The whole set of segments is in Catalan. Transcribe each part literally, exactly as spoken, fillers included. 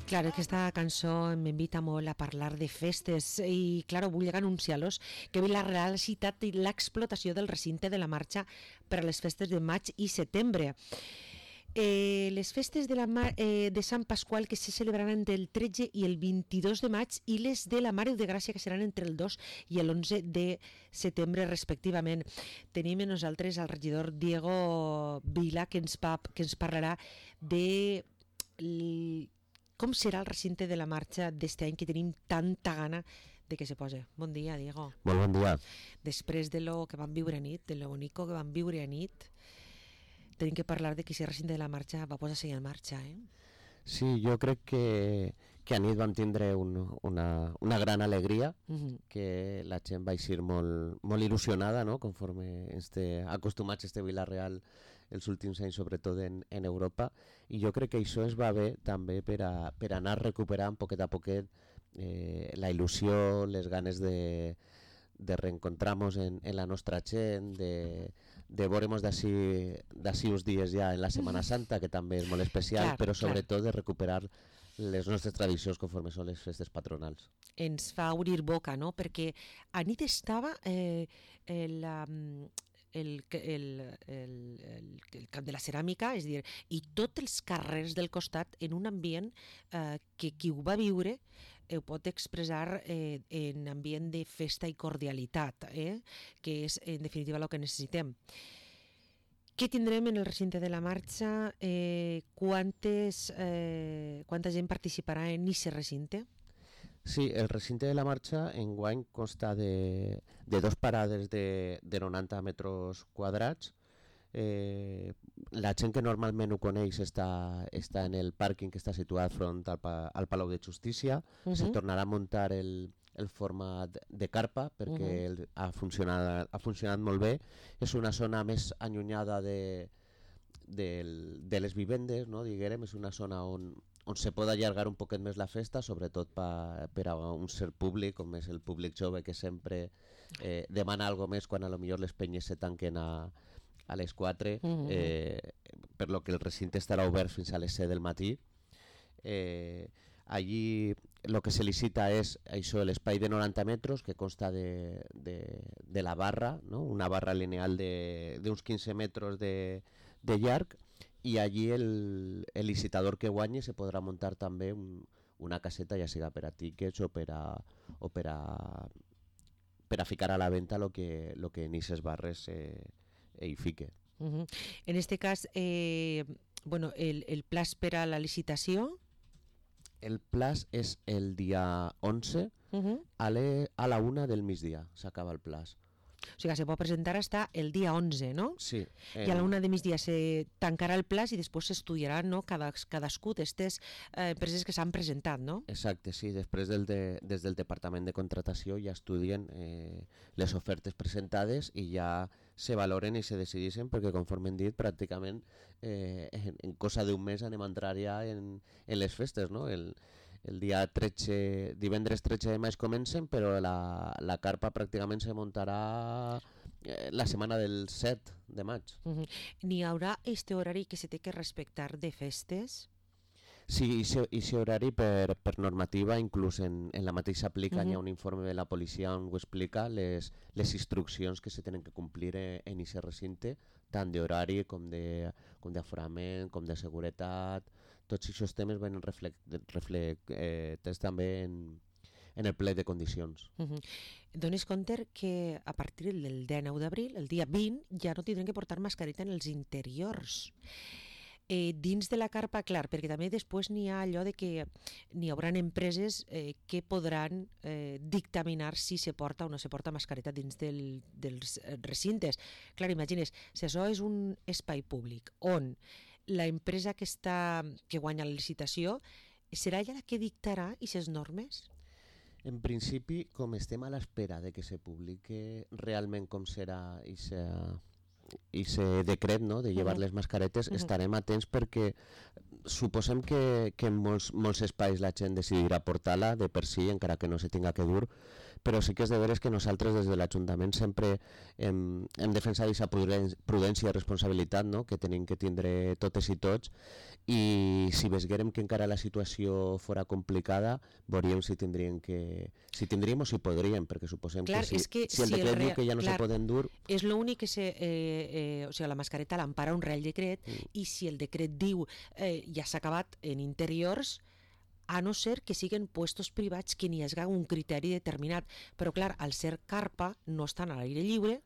Claro, aquesta cançó m'invita molt a parlar de festes i, claro, vull anunciar-los que Vila-real ha citat l'explotació del recinte de la marxa per a les festes de maig i setembre. Eh, les festes de, la Mar, eh, de Sant Pasqual que se celebraran entre el tretze i el vint-i-dos de maig i les de la Mare de Gràcia que seran entre el dos i l'onze de setembre respectivament. Tenim a nosaltres al regidor Diego Vila que ens, va, que ens parlarà de l, com serà el recinte de la marxa d'este any que tenim tanta gana de que se posi. Bon dia, Diego. Molt bon dia. Després de lo que vam viure a nit, de lo bonico que vam viure a nit, tenim que parlar de que aquest recinte de la marxa va posar-se en marxa, eh? Sí, jo crec que, que a nit vam tindre un, una, una gran alegria, uh-huh. que la gent va eixir molt, molt il·lusionada, no? Conforme este, acostumats a este Vila-real els últims anys, sobretot en, en Europa, i jo crec que això es va bé també per a, per a anar recuperant poquet a poquet eh, la il·lusió, les ganes de de reencontrarnos en, en la nostra gent, de, de veuremos d'ací d'ací uns dies ja en la Setmana Santa, que també és molt especial, clar, però sobretot clar. de recuperar les nostres tradicions conforme són les festes patronals. Ens fa obrir boca, no? Perquè a nit estava eh, el, um, el, el, el, el, el camp de la ceràmica, és a dir, i tots els carrers del costat en un ambient eh, que qui ho va viure ho pot expressar eh, en ambient de festa i cordialitat, eh? Que és en definitiva el que necessitem. Què tindrem en el recinte de la marxa? Eh, quantes, eh, quanta gent participarà en aquest recinte? Sí, el recinte de la marxa enguany consta de, de dos parades de, de noranta metres quadrats. Eh, la gent que normalment ho coneix està, està en el pàrquing que està situat front al, al Palau de Justícia. Uh-huh. Se tornarà a muntar el, el format de carpa perquè uh-huh. el, ha, funcionat, ha funcionat molt bé. És una zona més allunyada de, de, de les vivendes, no? Diguem, és una zona on, on se pot allargar un poquet més la festa, sobretot pa, per a un cert públic, com és el públic jove que sempre eh, demana algo més quan a lo millor les penyes se tanquen a a les quatre, uh-huh. eh, per lo que el recinte estarà obert fins a les set del matí. Eh, allí el que se licita és això, l'espai de noranta metres que consta de, de, de la barra, no? Una barra lineal d'uns quinze metres de, de llarg, i allí el, el licitador que guanyi se podrà muntar també un, una caseta, ja siga per a tickets o per a, o per a, per a ficar a la venda lo que, lo que en aquestes barres eh, i fique. Uh-huh. En este cas, eh, bueno, el, el plaç per a la licitació? El plaç és el dia onze, uh-huh. a, le, a la una del migdia s'acaba el plaç. O sigui, se pot presentar hasta el dia onze, no? Sí. Eh... I a la una de migdia se tancarà el plaç i després s'estudiaran, no? Cada, cadascú d'aquestes eh, empreses que s'han presentat, no? Exacte, sí. Després del de, des del Departament de Contratació ja estudien eh, les ofertes presentades i ja se valoren i se decideixen, perquè conforme hem dit, pràcticament eh, en, en cosa d'un mes anem a entrar ja en, en les festes, no? El, el dia tretze, divendres tretze de maig comencen, però la, la carpa pràcticament se muntarà eh, la setmana del set de maig. Uh-huh. N'hi haurà este horari que se té que respectar de festes? Sí, i si horari per, per normativa, inclús en, en la mateixa aplica, uh-huh. hi ha un informe de la policia on ho explica les, les instruccions que se tenen que complir en aquest recinte, tant d'horari com de com d'aforament, com de seguretat. Tots aquests temes venen reflectats reflect, eh, també en, en el ple de condicions. Uh-huh. Dones compte que a partir del dia nou d'abril, el dia vint, ja no tindrem que portar mascareta en els interiors. Eh, dins de la carpa, clar, perquè també després n'hi ha allò de que n'hi haurà empreses eh, que podran eh, dictaminar si se porta o no se porta mascareta dins del, dels recintes. Clar, imagines, si això és un espai públic on la empresa que, està, que guanya la licitació serà ella la que dictarà aquestes normes? En principi, com estem a l'espera de que se publique realment com serà i se... i ese decret, no?, de llevar uh-huh. les mascaretes, uh-huh. estarem atents perquè suposem que, que en molts, molts espais la gent decidirà portar-la de per si, encara que no se tinga que dur, però sí que és de veres que nosaltres des de l'Ajuntament sempre hem, hem defensat aquesta prudència i responsabilitat, no?, que tenim que tindre totes i tots, i si vesguérem que encara la situació fora complicada, veuríem si tindríem que si tindríem o si podríem, perquè suposem clar, que, si, que si el si decret el diu rea... que ja no clar, se poden dur... És l'únic que se... Eh, eh, o sigui, la mascareta l'empara un Real Decret, mm. i si el decret diu eh, ja s'ha acabat en interiors, a no ser que siguin puestos privats que n'hi hagi un criteri determinat. Però, clar, al ser carpa no estan a l'aire lliure,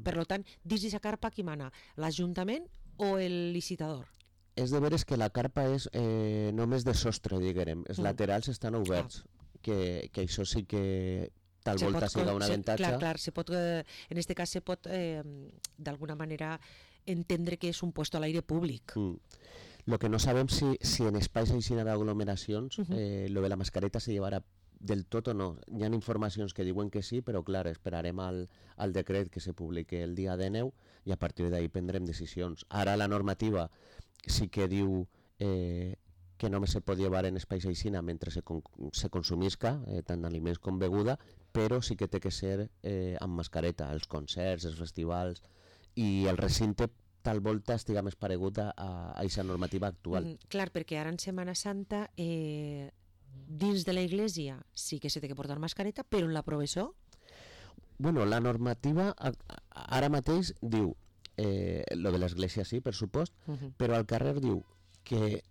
per tant, dins d'aquesta carpa qui mana? L'Ajuntament o el licitador? És de veres que la carpa és eh, només de sostre, diguem. Els mm. laterals estan oberts, ah. que, que això sí que tal se volta siga un avantatge. Clar, clar, se pot, eh, en aquest cas se pot eh, d'alguna manera entendre que és un puesto a l'aire públic. Mm. Lo que no sabem si, si en espais així d'aglomeracions uh -huh. eh, lo de la mascareta se llevarà del tot o no. Hi ha informacions que diuen que sí, però clar, esperarem al, al decret que se publique el dia dinou i a partir d'ahí prendrem decisions. Ara la normativa sí que diu eh, que només se pot llevar en espais aixina mentre se, con, se consumisca, eh, tant aliments com beguda, però sí que té que ser eh, amb mascareta, els concerts, els festivals, i el recinte tal volta estiga més paregut a aquesta normativa actual. Mm, clar, perquè ara en Setmana Santa eh, dins de la iglesia sí que se té que portar mascareta, però en la professó? Bueno, la normativa ara mateix diu, eh, lo de l'església sí, per supost, uh -huh. però al carrer diu que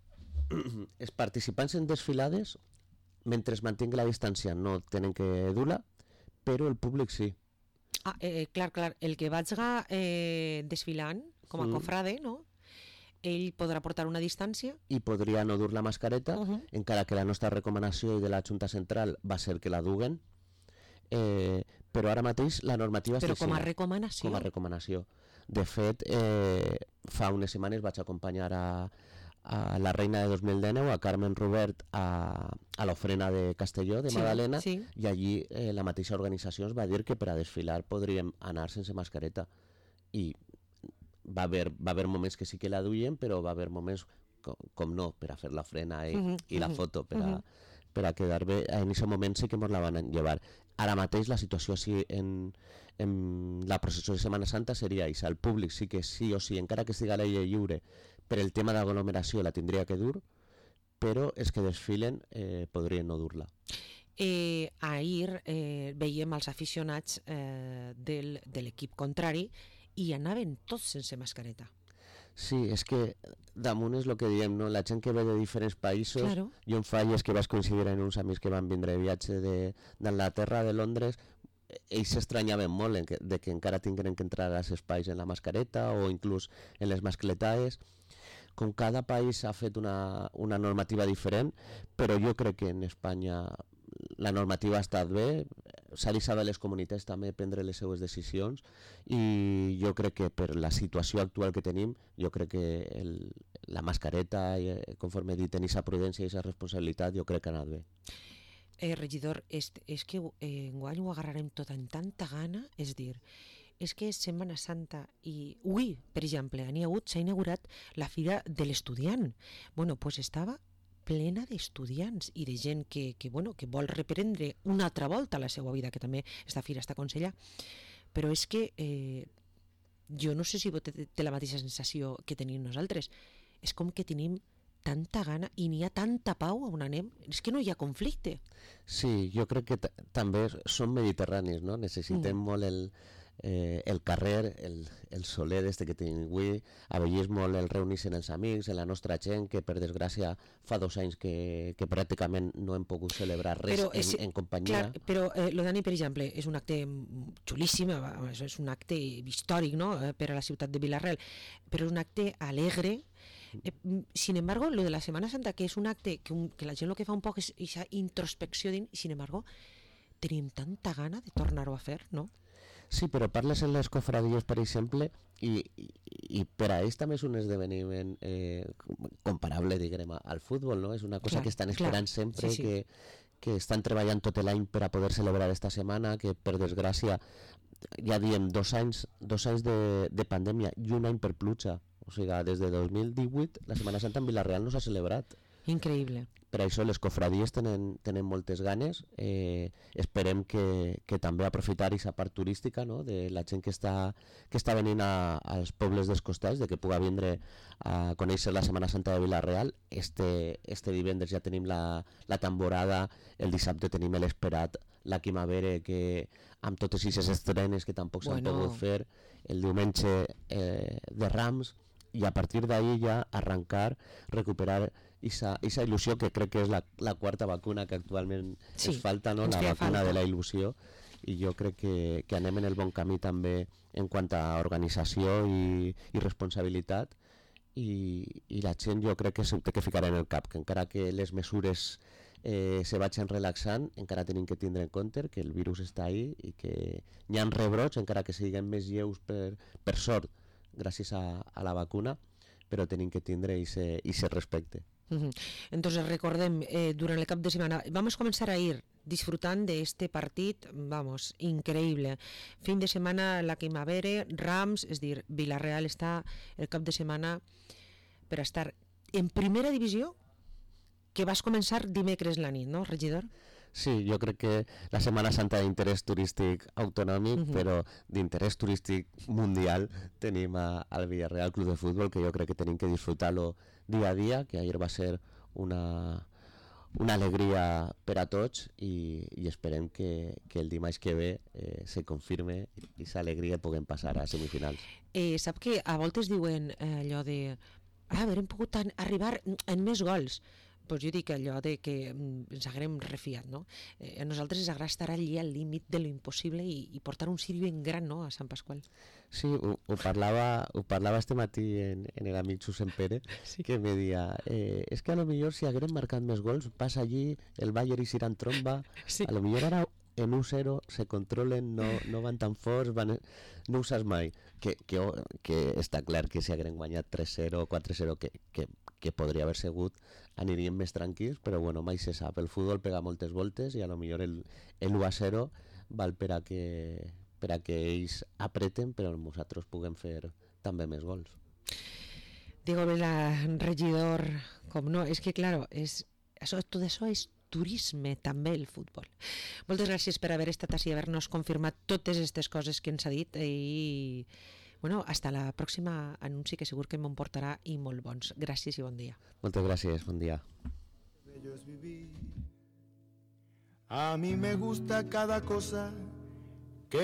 els participants en desfilades, mentre es mantingui la distància, no tenen que dur-la, però el públic sí. Ah, eh, clar, clar, el que vagi eh, desfilant com a mm. cofrade, no? Ell podrà portar una distància i podria no dur la mascareta, uh -huh. encara que la nostra recomanació i de la Junta Central va ser que la duguen, eh, però ara mateix la normativa però és com a recomanació. Com a recomanació. De fet, eh, fa unes setmanes vaig acompanyar a, a la reina de dos mil dinou, a Carmen Robert, a, a l'ofrena de Castelló, de sí, Madalena, sí. i allí eh, la mateixa organització ens va dir que per a desfilar podríem anar sense mascareta. I va haver, va haver moments que sí que la duien, però va haver moments com, com no, per a fer la frena i, uh -huh, i la uh -huh, foto, per a, uh -huh. per a quedar bé. En aquest moment sí que ens la van llevar. Ara mateix la situació així en, en la processó de Setmana Santa seria això. El públic sí que sí o sí, encara que estigui a l'aire lliure, per el tema d'aglomeració la tindria que dur, però els que desfilen eh, podrien no dur-la. Eh, ahir eh, veiem els aficionats eh, del, de l'equip contrari i anaven tots sense mascareta. Sí, és que damunt és el que diem, no? La gent que ve de diferents països, claro. Jo em falles que vaig coincidir en uns amics que van vindre de viatge d'Anglaterra, de, de Londres, ells s'estranyaven molt en que, de que encara tinguin que entrar als espais en la mascareta o inclús en les mascletaes. Com cada país ha fet una, una normativa diferent, però jo crec que en Espanya la normativa ha estat bé, s'ha deixat a les comunitats també prendre les seues decisions i jo crec que per la situació actual que tenim, jo crec que el, la mascareta, conforme he dit, en aquesta prudència i aquesta responsabilitat, jo crec que ha anat bé. Eh, regidor, és, és que eh, enguany ho agarrarem tot amb tanta gana, és dir, és que és Setmana Santa i avui, per exemple, n'hi ha hagut, s'ha inaugurat la Fira de l'Estudiant. Bueno, doncs pues estava plena d'estudiants i de gent que, que, bueno, que vol reprendre una altra volta la seva vida, que també esta fira està aconsella, però és que eh, jo no sé si té, té la mateixa sensació que tenim nosaltres, és com que tenim tanta gana i n'hi ha tanta pau on anem, és que no hi ha conflicte. Sí, jo crec que també som mediterranis, no? Necessitem mm. molt el, eh, el carrer, el, el soler este que tenim avui, avellis molt el reunir-se amb els amics, en la nostra gent, que per desgràcia fa dos anys que, que pràcticament no hem pogut celebrar res però és, en, en companyia. Clar, però eh, lo d'Ani, per exemple, és un acte xulíssim, és un acte històric, no?, per a la ciutat de Vila-real, però és un acte alegre. Eh, sin embargo, lo de la Semana Santa, que és un acte que, un, que la gent lo que fa un poc és aquesta introspecció, din, sin embargo, tenim tanta gana de tornar-ho a fer, no? Sí, però parles en les cofradies, per exemple, i, i, i per a ells també és un esdeveniment eh, comparable, diguem, al futbol, no? És una cosa clar, que estan esperant clar. sempre, sí, sí. Que, que estan treballant tot l'any per a poder celebrar esta setmana, que per desgràcia ja diem dos anys, dos anys de, de pandèmia i un any per pluja. O sigui, des de dos mil divuit la Setmana Santa en Vila-real no s'ha celebrat. Increïble. per això les cofradies tenen, tenen moltes ganes. Eh, esperem que, que també aprofitar aquesta part turística, no? De la gent que està, que està venint a, als pobles dels costats, de que puga vindre a conèixer la Setmana Santa de Vila-real. Este, este divendres ja tenim la, la temporada, el dissabte tenim l'esperat la Quimavere, que amb totes aquestes estrenes que tampoc s'han Bueno. pogut fer, el diumenge eh, de Rams, i a partir d'ahir ja arrencar, recuperar esa, esa il·lusió que crec que és la, la quarta vacuna que actualment Sí, ens falta, no? ens La feia vacuna falta. de la il·lusió, i jo crec que, que anem en el bon camí també en quant a organització i, i responsabilitat, i, i la gent jo crec que s'ho té que ficar en el cap, que encara que les mesures eh, se vagin relaxant, encara tenim que tindre en compte que el virus està ahí i que hi ha rebrots, encara que siguin més lleus per, per sort, gràcies a, a la vacuna, però tenim que tindre ese respecte. Uh-huh. Entonces recordem, eh, durant el cap de semana vamos a comenzar a ir disfrutant de este partit, vamos, increïble. Fin de setmana la Quimavere, Rams, és dir, Vila-real està el cap de setmana per a estar en primera divisió, que vas començar dimecres la nit, no, regidor? Sí, jo crec que la Setmana Santa d'interès turístic autonòmic, uh-huh. però d'interès turístic mundial tenim a, al Villarreal Club de Futbol, que jo crec que tenim que disfrutar-lo dia a dia, que ahir va ser una, una alegria per a tots, i, i esperem que, que el dimarts que ve eh, se confirme i aquesta alegria puguem passar a semifinals. Eh, sap que a voltes diuen eh, allò de ah, haurem pogut an- arribar en més gols. Pues jo dic allò de que mm, ens haguem refiat, no? Eh, a nosaltres ens agrada estar allí al límit de lo impossible i, i portar un ciri ben gran, no?, a Sant Pasqual. Sí, ho, ho, parlava, ho parlava este matí en, en el amic Susen Pere, sí. Que me deia, eh, és que a lo millor si haguérem marcat més gols, passa allí, el Bayern i Siran tromba, sí. A lo millor ara en un cero se controlen, no, no van tan forts, van, no ho saps mai. Que, que, que està clar que si haguérem guanyat tres zero o quatre zero, que, que, que podria haver sigut, aniríem més tranquils, però bueno, mai se sap. El futbol pega moltes voltes i a lo millor el, el u a zero val per a que, per a que ells apreten, però nosaltres puguem fer també més gols. Diego Vela, regidor, com no, és que claro, és, això, tot això és turisme també, el futbol. Moltes gràcies per haver estat així i haver-nos confirmat totes aquestes coses que ens ha dit, i bueno, hasta la pròxima anunci, que segur que me'n portarà i molt bons. Gràcies i bon dia. Moltes gràcies, bon dia. A mí me gusta cada cosa que